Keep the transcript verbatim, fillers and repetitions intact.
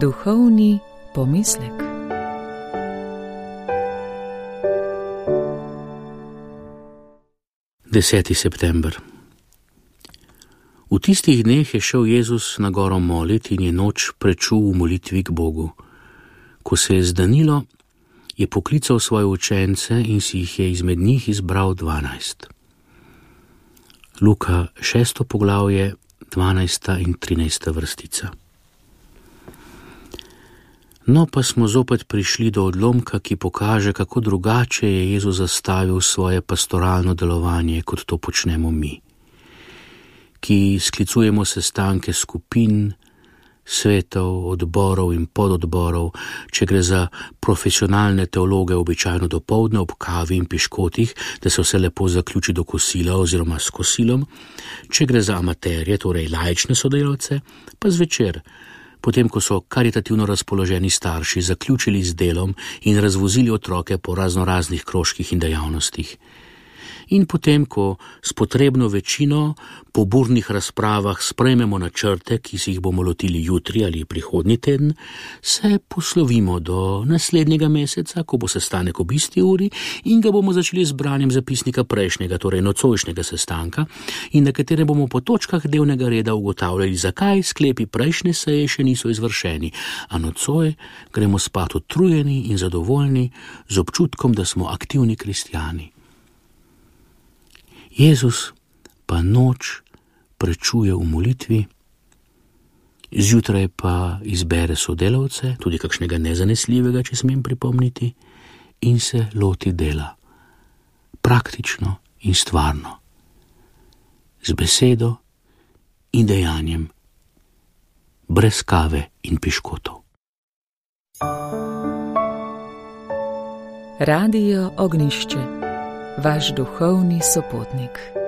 Duhovni pomislek. deseti september. V tistih dneh je šel Jezus na goro moliti in je noč prečul v molitvi k Bogu. Ko se je zdanilo, je poklical svoje učence in si jih je izmed njih izbral dvanajst. Luka šesto poglavje, dvanajsta in trinajsta vrstica. No, pa smo zopet prišli do odlomka, ki pokaže, kako drugače je Jezus zastavil svoje pastoralno delovanje, kot to počnemo mi, ki sklicujemo sestanke skupin, svetov, odborov in pododborov, če gre za profesionalne teologe običajno dopoldne ob kavi in piškotih, da se vse lepo zaključi do kosila oziroma s kosilom, če gre za amaterje, torej laične sodelavce, pa zvečer, potem ko so karitativno razpoloženi starši zaključili z delom in razvozili otroke po raznoraznih krožkih in dejavnostih. In potem, ko s potrebno večino po burnih razpravah sprejmemo načrte, ki si jih bomo lotili jutri ali prihodnji teden, se poslovimo do naslednjega meseca, ko bo sestanek ob isti uri in ga bomo začeli z branjem zapisnika prejšnjega, torej nocojšnjega sestanka, in na katerem bomo po točkah dnevnega reda ugotavljali, zakaj sklepi prejšnje seje še niso izvršeni, a nocoj gremo spat utrujeni in zadovoljni z občutkom, da smo aktivni kristjani. Jezus pa noč prečuje v molitvi, zjutraj pa izbere sodelavce, tudi kakšnega nezanesljivega, če smem pripomniti, in se loti dela, praktično in stvarno, z besedo in dejanjem, brez kave in piškotov. Radio Ognjišče, vaš duhovni sopotnik.